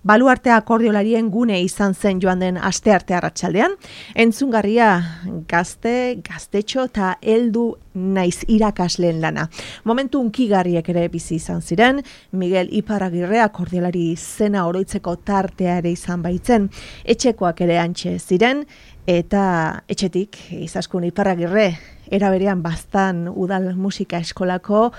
Baluarte akordeolarien gune izan zen joan den astearte arratsaldean. Entzungarria gaztetxo eta heldu naiz irakasleen lana. Momentu hunkigarriek ere bizi izan ziren, Miguel Iparragirre akordeolari izena oroitzeko tartea ere izan baitzen. Etxekoak ere antxe ziren, eta etxetik Izaskun Iparragirre era berean Baztan udal musika eskolako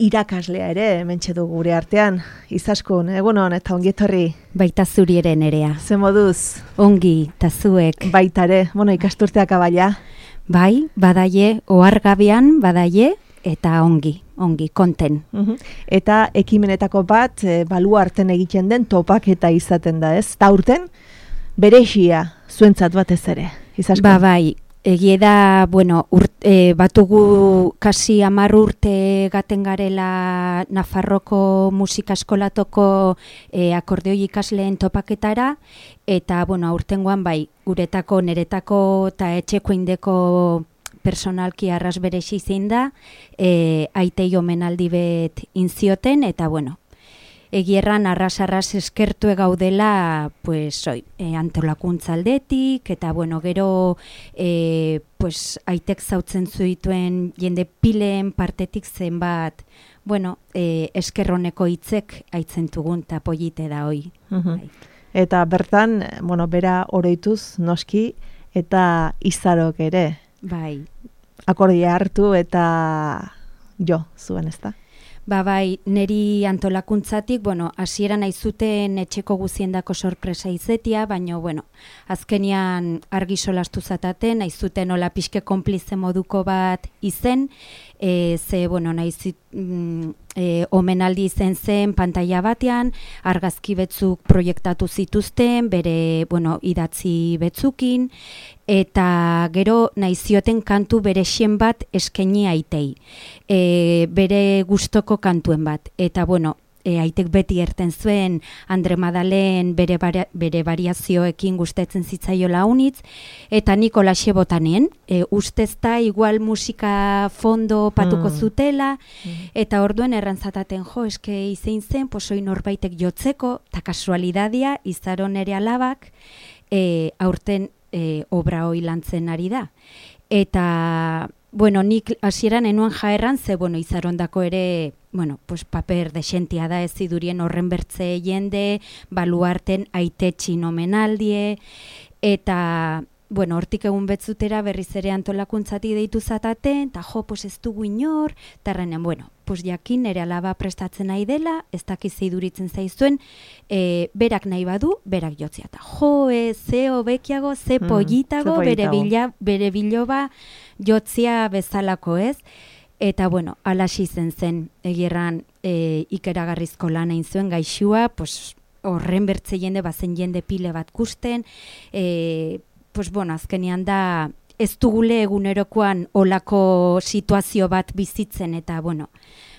irakaslea ere hementxe du gure artean. Izaskun, egunon eta ongi etorri. Baita zuri ere Nerea. Ze moduz? Ongi, ta zuek. Baita ere, ikasturteak abaila. Bai, badaie, ohargabean badaie eta ongi, konten. Eta ekimenetako bat, baluarten egiten den topaketa izaten da, ez? Ta urten, berexia zuentzat batez ere, Izaskun. Bai, egie da, batugu kasi 10 urte gaten garela Nafarroko musika eskolatoko akordeoi ikasleen topaketara, eta, aurtengoan bai, guretako, neretako eta etxeko indeko personalki arras berexi zein da, aitei omenaldi bet inzioten, eta, egierran arras eskertu gaudela antolakuntza aldetik, eta gero aitek zautzen zuituen jende pileen partetik zenbat eskerroneko hitzek aitzentugun eta polite da hoi. Eta bertan, bera oroituz noski eta izarok ere. Bai. Akordia hartu eta jo zuen, ezta? Bai, neri antolakuntzatik, hasieran aizuten etxeko guziendako sorpresa izetia, baina, azkenian argi solastu zataten, aizuten hola pixke konplize moduko bat izen, omenaldi izen zen pantaila batean, argazki betzuk proiektatu zituzten, bere, idatzi betzukin, eta gero naizioten kantu berexien bat eskaini aitei. Bere gustoko kantuen bat. Eta, aitek beti erten zuen Andre Madalen bere variazioekin gustetzen zitzaiola unitz, eta nik olaxe botanien, ustezta igual musika fondo patuko zutela, eta orduen errantzataten eske izein zen, posoi norbaitek jotzeko, eta kasualidadia, izaron ere alabak, aurten obra hoi lantzen ari da. Eta, nik hasieran enuan jaerran, ze, izarondako ere, paper desentia da ez idurien horren bertze jende, baluarten aitetxin omenaldie, eta, hortik egun betzutera berriz ere antolakuntzati deitu zataten, eta ez dugu inor, eta errenen, jakin ere alaba prestatzen nahi dela, ez dakiz iduritzen zaizuen, berak nahi badu, berak jotzia, eta ze hobekiago, ze pollitago, bere biloba jotzia bezalako ez, eta alaxi zen, egirran ikeragarrizko lan egin zuen gaixua, horren bertze jende, bazen jende pile bat kusten, azkenean da, ez dugule egunerokoan olako situazio bat bizitzen, eta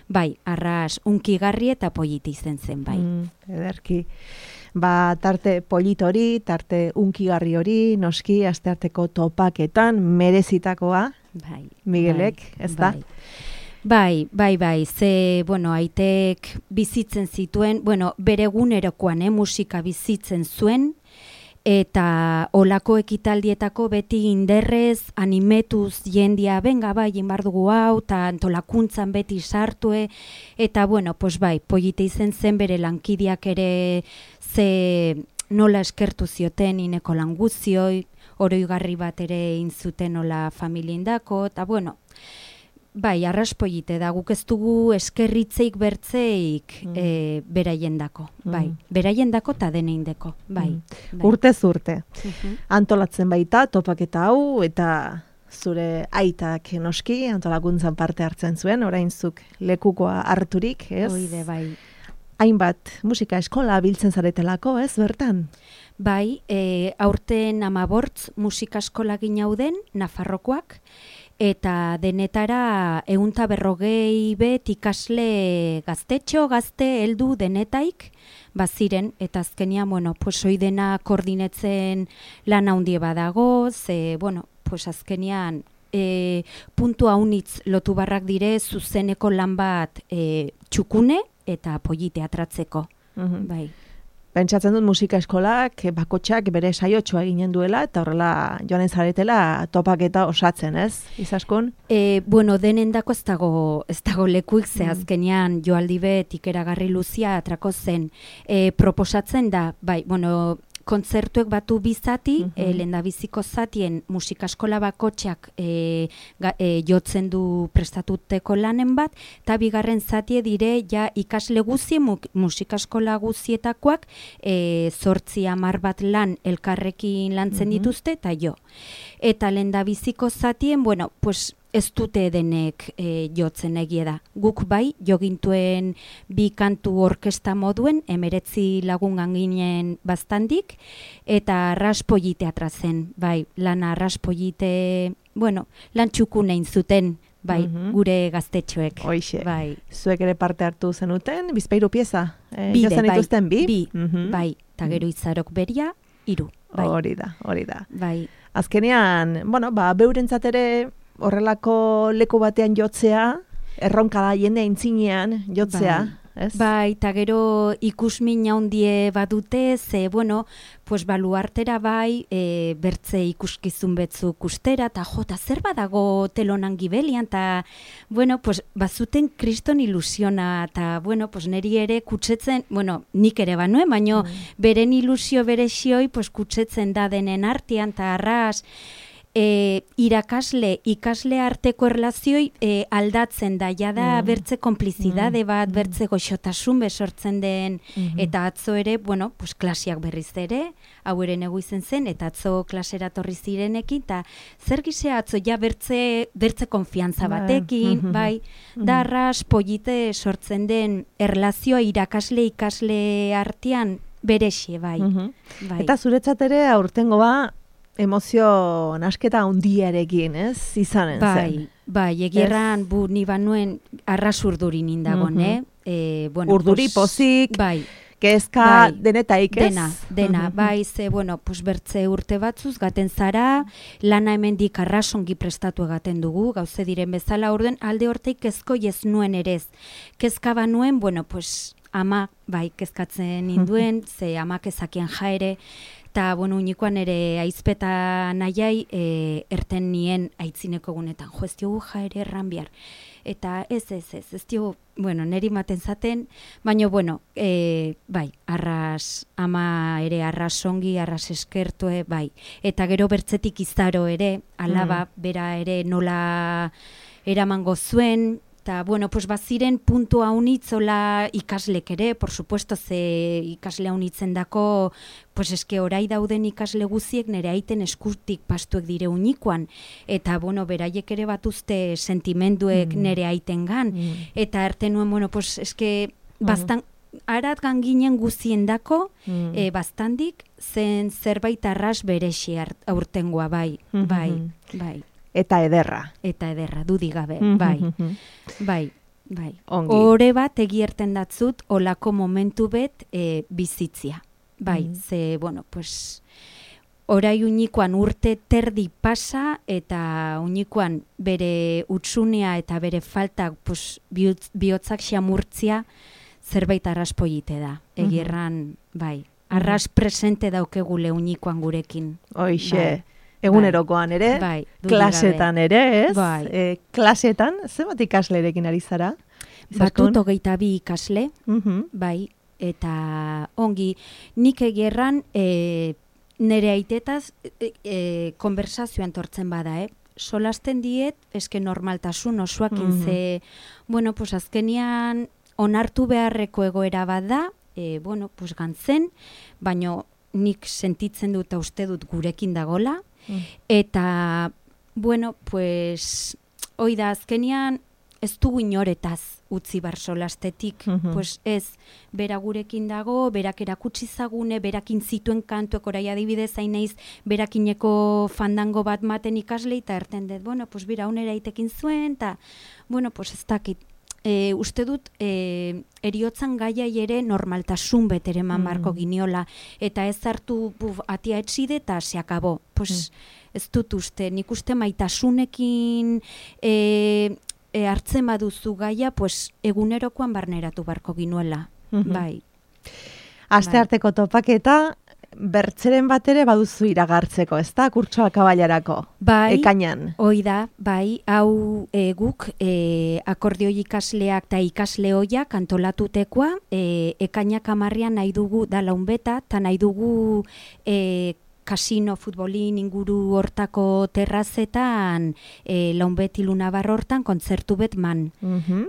bai, arras unkigarri eta politi izen zen, bai. Ederki. Tarte polit hori, tarte unkigarri hori, noski, astearteko topaketan, merezitakoa, Miguelek, ez da? Bai, ze, aitek bizitzen zituen, bere egunerokoan musika bizitzen zuen, eta olako ekitaldietako beti inderrez, animetuz jendia, benga bai, inbardugu hau, eta antolakuntzan beti sartue, eta polite izen zen bere lankideak ere ze nola eskertu zioten ineko languzioi, oroigarri bat ere inzuten nola familiendako, eta bai, arraspoite da, guk ez dugu eskerritzeik bertzeik beraiendako, bai, beraiendako eta deneindeko, bai. Urtez urte, antolatzen baita, topaketa hau, eta zure aitak noski, antolakuntzan parte hartzen zuen, orainzuk lekukoa harturik, ez? Oide, bai. Hainbat musika eskola biltzen zaretelako, ez, bertan? Bai, aurten 15 musika eskola ginauden, Nafarrokoak, eta denetara 150 bet ikasle gaztetxo, gazte, heldu denetaik, baziren, eta azkenian, hoi dena koordinetzen lan handie badago, ze, azkenian, puntu haunitz lotu barrak dire zuzeneko lan bat txukune eta polite atratzeko. Bai. Pentsatzen dut musika eskolak bakotxak bere saiotxoa eginen duela eta horrela joanen zaretela topaketa osatzen, ez? Izaskun? Bueno, denendako ez dago lekuik, ze azkenean joaldi bet ikeragarri luzia atrako zen. Proposatzen da, bai, bueno, kontzertuek batu bizati, lehendabiziko zatien musikaskola bakotxak jotzen du prestatuteko lanen bat, eta bigarren zatie dire ja ikasle guzie, musikaskola guzietakoak, 8-10 bat lan elkarrekin lantzen dituzte, eta jo. Eta lehendabiziko zatien, bueno, pues ez dute denek jotzen egie da. Guk bai, jogintuen 2 kantu orkesta moduen, 19 lagungan ginen bastandik, eta raspollite atrazen, bai, lana raspollite, bueno, lan txukunein zuten, bai, gure gaztetxoek. Hoixe, bai. Zuek ere parte hartu zenuten, bizpairu pieza? Bide, bai, dituzten, bi? Bai, eta gero Izarok beria, 3. Bai. Hori da. Bai. Azkenean, bueno, beurentzat ere horrelako leku batean jotzea, erronka da jende aintzinean jotzea, ez? Bai, eta gero ikusmin handie badute, ze, bueno, pues baluartera bai, bertze ikuskizun betzuk ustera, eta jota zer badago telonan gibelian, eta, bueno, pues bazuten kriston ilusiona, eta, bueno, pues neri ere kutsetzen, bueno, nik ere banuen, baino beren ilusio bere xioi, pues kutsetzen da denen artean, eta arras, ikasle arteko erlazioi aldatzen da, jada bertze konplizidade bat, bertze goxotasun besortzen den, eta atzo ere, bueno, pues klasiak berriz ere, hau ere negu izen zen, eta atzo klasera torri zirenekin, eta zer gizea atzo, ja bertze konfiantza batekin, bai, da arras polite sortzen den erlazioa ikasle artean berexie, bai. Eta zuretzat ere aurtengo emozio nasketa handiarekin, ez? Izanen zen. Bai, egierran ni banuen arras urduri nindagon, bueno, urduri pozik, bai, kezka denetaik, ez? Dena, bai, ze, bueno, pues bertze urte batzuz, gaten zara, lana hemendik arrasongi prestatu egaten dugu, gauze diren bezala, orden alde horteik kezko ez nuen erez. Kezka banuen, bueno, pues ama, bai, kezkatzen induen, ze amak ezakian jaere, eta, bueno, unikoan ere aizpeta nahiai erten nien aitzineko gunetan. Jo, ez diogu jaere erran bihar. Eta ez diogu, bueno, neri maten zaten, baina, bueno, bai, arras, ama ere arras ongi, arras eskertue, bai. Eta gero bertzetik Izaro ere, alaba, bera ere nola eramango zuen, eta, bueno, pues baziren puntu haunitzola ikaslek ere, por supuesto, ze ikasle haunitzen dako, pues eske orai dauden ikasle guziek nere aiten eskutik pastuek dire unikoan, eta, bueno, beraiek ere batuzte sentimenduek nere aiten gan, eta arte nuen, bueno, pues eske bastan, arat ganginen guzien dako, bastandik, zen zerbait arras berexi aurtengoa, bai. Eta ederra. Dudik gabe, bai. Ore bat egierten datzut, olako momentu bet bizitzia. Bai, ze, bueno, pues, orai unikoan urte terdi pasa, eta unikoan bere utsunea eta bere faltak, pues, bihotzak xamurtzia, zerbait arraspoite da. Egierran, bai, arras presente daukegule unikoan gurekin. Hoixe. Egunerokoan ere, klasetan ere, ez? Klasetan, zenbat ikaslerekin ari zara? Batut 22 ikasle, bai, eta ongi, nik egierran nere aitetaz konversazioan tortzen bada, solasten diet, eske normaltasun osoakin ze, bueno, pues azkenian onartu beharreko egoera bat da, bueno, pues gantzen, baino nik sentitzen dut uste dut gurekin dagola, eta, bueno, pues, hoi da, azkenian ez dugu inoretaz utzi bar solastetik, pues ez, bera gurekin dago, berak erakutsi zagune, berakin zituen kantuek orai adibidez hain naiz, berakineko fandango bat maten ikasle, eta erten dut, bueno, pues bera unera itekin zuen, eta, bueno, pues ez dakit, uste dut eriotzan gaiai ere normaltasun betere marko giniola, eta ez hartu atia etxide eta se akabo. Pues ez dut uste, nik uste maitasunekin hartzen baduzu gaia, pues egunerokoan barneratu barko ginuela. Bai. Astearteko topaketa, bertzeren bat ere baduzu iragartzeko, ez da, kurtsoa kabailarako, ekainan. Hoi da, bai, hau guk akordeoi ikasleak eta ikasle hoiak antolatutekoa, ekainak 10 nahi dugu da launbeta, eta nahi dugu kasino futbolin inguru hortako terrazetan launbet ilunabar hortan kontzertu bet man.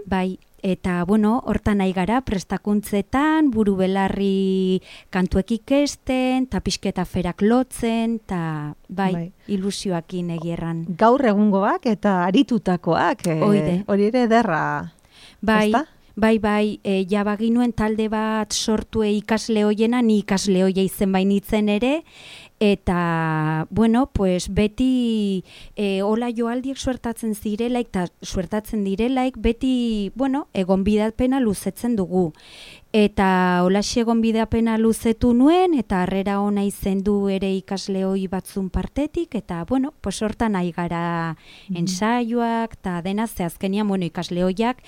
Bai, eta, bueno, hortan nahi gara, prestakuntzetan, buru belarri kantuek ikesten, eta pixketa ferak lotzen, eta, bai, ilusioakin egierran. Gaur egungoak eta aritutakoak, hori ere ederra, bai, ezta? Bai, jabaginuen talde bat sortu ikasle hoiena, ni ikasle hoia izen bainitzen ere, eta, bueno, pues beti hola joaldiek suertatzen zirelaik, eta suertatzen direlaik, beti, bueno, egonbidapena luzetzen dugu. Eta holaxe egonbidapena luzetu nuen, eta harrera ona izen du ere ikasle hoi batzun partetik, eta, bueno, pues hortan nahi gara ensaioak, eta dena zehazkenian, bueno, ikasle hoiak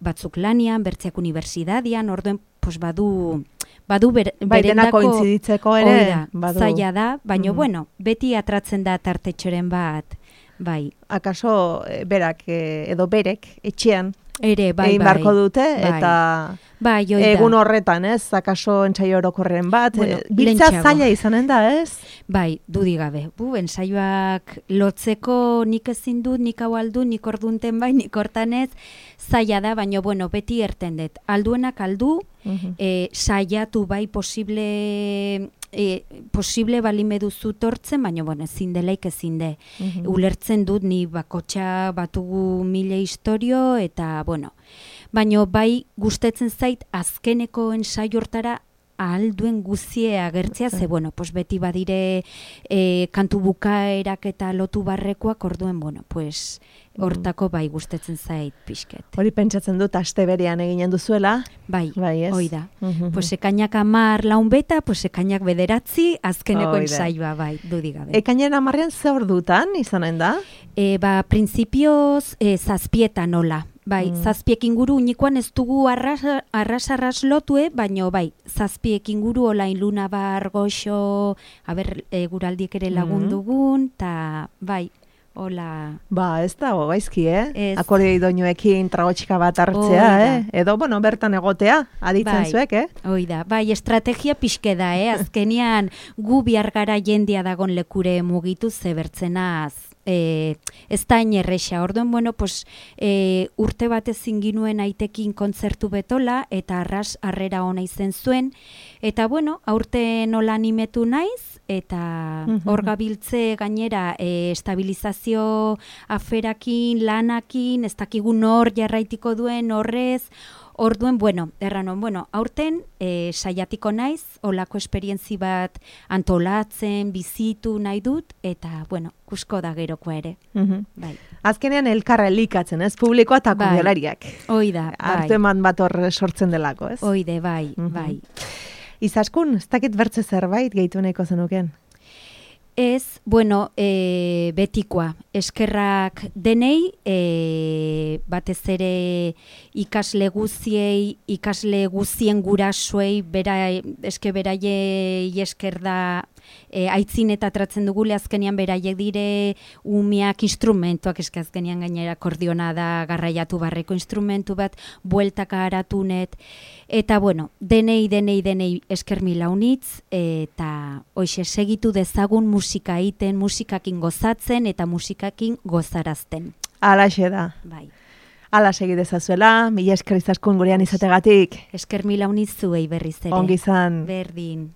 batzuk lanian, bertziak unibertsitatean, orduen, pues badu denako intziditzeko ere, zaila da, baina, bueno, beti atratzen da tartetxoren bat, bai. Akaso berak edo berek etxean ere, bai, egin beharko dute, eta egun horretan, ez, akaso entsaio orokorren bat, biltza zaila izanen da, ez? Bai, dudik gabe, entsaioak lotzeko nik ezin dut, nik hau aldu, nik ordunten bai, nik hortan ez, zaila da, baina, bueno, beti erten dut, alduenak aldu, saiatu bai posible balime duzu tortzen, baina, bueno, ezin delaik ezin de. Ulertzen dut, ni bakotxa batugu 1000 historio, eta, bueno, baina bai gustetzen zait azkeneko ensaio hortara ahalduen guzie agertzea, ze, bueno, pues beti badire kantu bukaerak eta lotu barrekoak, orduen, bueno, pues hortako bai gustetzen zait pixket. Hori pentsatzen dut aste berean eginen duzuela. Bai, hoi da. Pues ekainak 10 launbeta, pues ekainak 9, azkeneko ensaioa, bai, dudik gabe. Ekainan 10 ze ordutan izanen da? Principioz 7 nola. Bai, 7 inguru unikoan ez dugu arras lotue, baina bai, 7 inguru olain lunabar goxo, guraldiek ere lagundugun, eta bai, hola. Ba, ez da, gaizki, Akordeoi doinuekin tragotxika bat hartzea, Edo, bueno, bertan egotea, aditzen zuek, Hoi da, bai, estrategia pixke da, Azkenian gu bihar gara jendia dagon lekure mugitu zebertzenaz. Ez da inerreixa, orduen, bueno, pues, urte batez zinginuen aitekin kontzertu betola, eta arras harrera ona izen zuen, eta, bueno, aurte nola animetu naiz, eta hor gabiltze gainera estabilizazio aferakin, lanakin, ez dakigun hor jarraitiko duen horrez, orduen, bueno, aurten saiatiko naiz, olako esperientzi bat antolatzen, bizitu nahi dut, eta, bueno, kusko da gerokoa ere. Bai. Azkenean elkarra elikatzen, ez? Publikoa eta akordeolariak. Hoi da, bai. Artu eman bat hor sortzen delako, ez? Hoi de, bai, bai. Izaskun, ez dakit bertze zerbait gehitu nahiko zenuken? Ez, bueno, betikoa, eskerrak denei, batez ere ikasle guziei, ikasle guzien gurasoei, eske beraiei esker da aitzin eta tratzen dugule, azkenian beraiek dire umiak instrumentuak, eske azkenian gainera akordiona da garraiatu barreko instrumentu bat, bueltaka haratunet, eta bueno, denei esker mila unitz, eta hoxe segitu dezagun musika egiten, musikakin gozatzen eta musikakin gozarazten. Alaxe da. Bai. Ala segi dezazuela, mila esker izaskun gurean izategatik. Esker mila unitz zuei berriz ere. Ongi izan. Berdin.